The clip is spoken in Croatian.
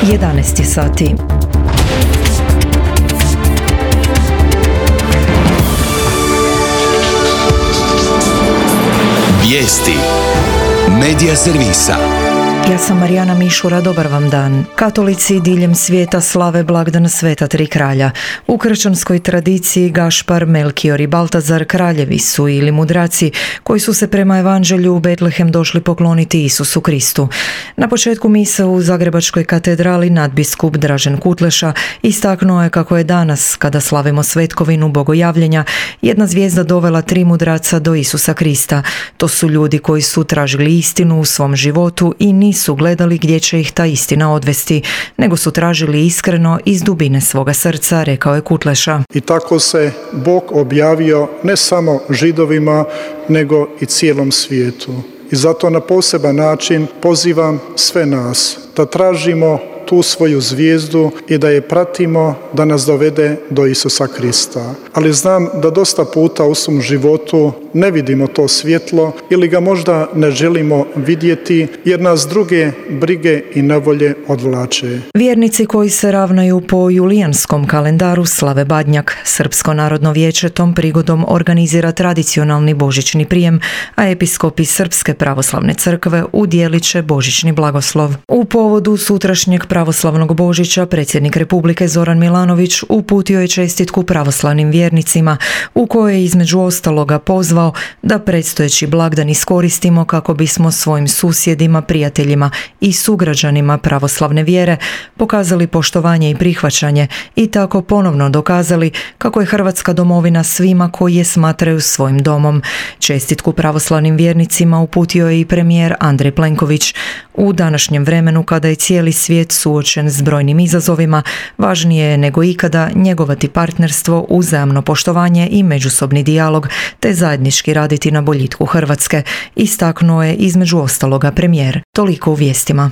11 sati. Vijesti Medija servisa. Ja sam Marijana Mišura, dobar vam dan. Katolici diljem svijeta slave blagdan Sveta tri kralja. U kršćanskoj tradiciji Gašpar, Melkior i Baltazar kraljevi su ili mudraci koji su se prema evanđelju u Betlehem došli pokloniti Isusu Kristu. Na početku mise u Zagrebačkoj katedrali nadbiskup Dražen Kutleša istaknuo je kako je danas, kada slavimo svetkovinu bogojavljenja, jedna zvijezda dovela tri mudraca do Isusa Krista. To su ljudi koji su tražili istinu u svom životu i nisu gledali gdje će ih ta istina odvesti, nego su tražili iskreno iz dubine svoga srca, rekao je Kutleša. I tako se Bog objavio ne samo Židovima, nego i cijelom svijetu. I zato na poseban način pozivam sve nas da tražimo tu svoju zvijezdu i da je pratimo, da nas dovede do Isusa Krista. Ali znam da dosta puta u svom životu ne vidimo to svjetlo ili ga možda ne želimo vidjeti jer nas druge brige i nevolje odvlače. Vjernici koji se ravnaju po julijanskom kalendaru slave Badnjak. Srpsko narodno vijeće tom prigodom organizira tradicionalni božićni prijem, a episkopi Srpske pravoslavne crkve udjelit će božićni blagoslov. U povodu sutrašnjeg pravoslavnog Božića predsjednik Republike Zoran Milanović uputio je čestitku pravoslavnim vjernicima u kojoj je između ostaloga pozvao da predstojeći blagdan iskoristimo kako bismo svojim susjedima, prijateljima i sugrađanima pravoslavne vjere pokazali poštovanje i prihvaćanje i tako ponovno dokazali kako je Hrvatska domovina svima koji je smatraju svojim domom. Čestitku pravoslavnim vjernicima uputio je i premijer Andrej Plenković. U današnjem vremenu kada je cijeli svijet suočen s brojnim izazovima, važnije je nego ikada njegovati partnerstvo, uzajamno poštovanje i međusobni dijalog, te zajednički raditi na boljitku Hrvatske, istaknuo je između ostaloga premijer. Toliko u vijestima.